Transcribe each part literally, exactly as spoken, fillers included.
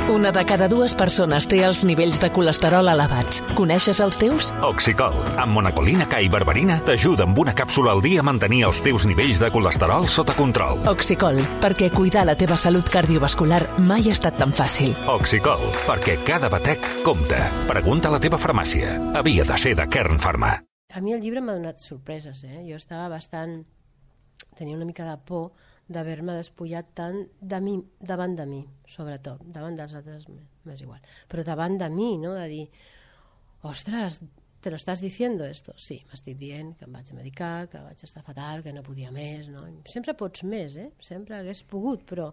Una de cada dues persones té els nivells de colesterol elevats. Coneixes els teus? Oxicol, amb monacolina K i berberina, t'ajuda amb una càpsula al dia a mantenir els teus nivells de colesterol sota control. Oxicol, perquè cuidar la teva salut cardiovascular mai ha estat tan fàcil. Oxicol, perquè cada batec compta. Pregunta a la teva farmàcia. Havia de ser de Kern Pharma. A mi el llibre m'ha donat sorpreses, eh? Jo estava bastant... Tenia una mica de por d'haver-me despullat tant de mi, davant de mi, sobretot, davant dels altres m'és igual, però davant de mi, no? De dir, ostres, te lo estàs diciendo esto? Sí, m'estic dient que em vaig medicar, que vaig estar fatal, que no podia més, no? Sempre pots més, eh? Sempre hagués pogut, però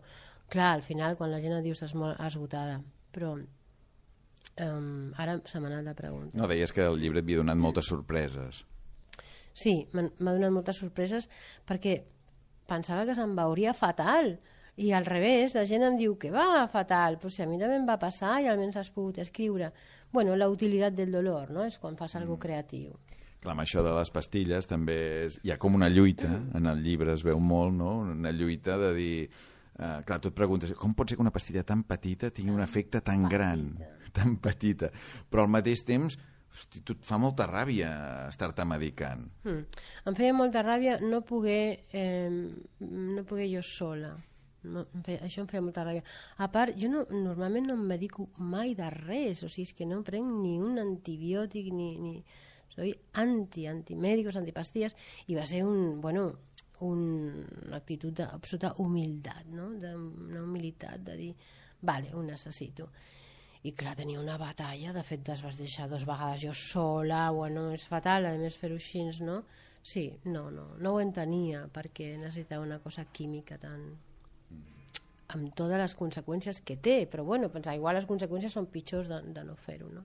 clar, al final quan la gent et diu estàs molt esgotada, però um, ara se m'ha anat la pregunta. No, deies que el llibre et havia donat moltes sorpreses. Sí, m'ha donat moltes sorpreses perquè pensava que se'm veuria fatal i al revés, la gent em diu que va fatal, però si a mi també em va passar i almenys has pogut escriure. Bueno, la utilitat del dolor, no? És quan fas alguna cosa creatiu. Clar, amb això de les pastilles també és... hi ha com una lluita, en el llibre es veu molt, no? Una lluita de dir... Uh, clar, tu et preguntes, com pot ser que una pastilla tan petita tingui un efecte tan gran, tan petita, però al mateix temps... Hosti, tu et fa molta ràbia estar-te medicant. Mm. Em feia molta ràbia no poder, eh, no poder jo sola. No, em feia, això em feia molta ràbia. A part, jo no, normalment no em medico mai de res, o sigui, és que no prenc ni un antibiòtic, ni... ni... Soy anti, antimèdicos, antipastilles, i va ser un, bueno, un, una actitud d'absoluta humilitat, no? De, una humilitat de dir, vale, ho necessito. I clar, tenia una batalla, de fet es vas deixar dues vegades jo sola, bueno, és fatal, a més fer-ho així, no? Sí, no, no, no ho entenia, perquè necessitava una cosa química tan... amb totes les conseqüències que té, però bueno, pensar, igual les conseqüències són pitjors de, de no fer-ho, no?